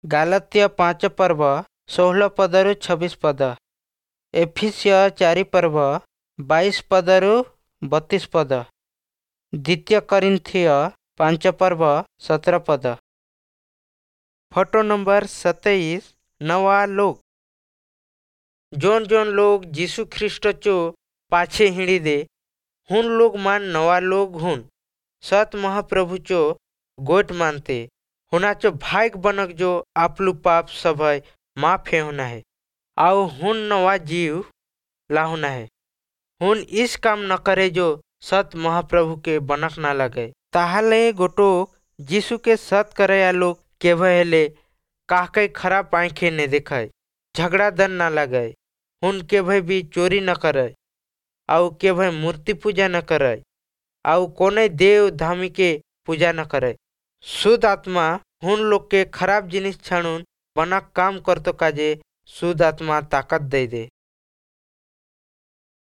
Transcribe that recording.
ଗାଲତୀୟ 5 ପର୍ବ 16 ପଦରୁ 26 ପଦ, ଏଫିସିୟ 4 ପର୍ବ 22 ପଦରୁ 32 ପଦ, ଦ୍ୱିତୀୟ କରିନ୍ଥୀୟ 5 ପର୍ବ 17 ପଦ। ଫଟୋ ନମ୍ବର 27, ନवा लोग। जोन जोन लोग यीशु ख्रीष्ट चो पाछे हिँडी दे हुन लोग मान नवा लोग हुन। सत महाप्रभु चो गोट मानते हुनाचो भाईक बनक जो आपलु पाप सभय माफ हे होना है आउ हुन नवा जीव लाहुना है। हुन इस काम न करे जो सत महाप्रभु के बनक ना लगे। ताहले गोटो यीशु के सत करे लोग केभे हेले काहके खराब आँखें ने देखे, झगड़ा दन ना लगे, हुन केभे भी चोरी न करे आउ केभे मूर्ति पूजा न करे आउ कोने देव धामी के पूजा न करे। शुद्ध आत्मा हुन लोग के खराब जिनिस छाणुन बना काम करतो काजे शुद्ध आत्मा ताकत दे दे।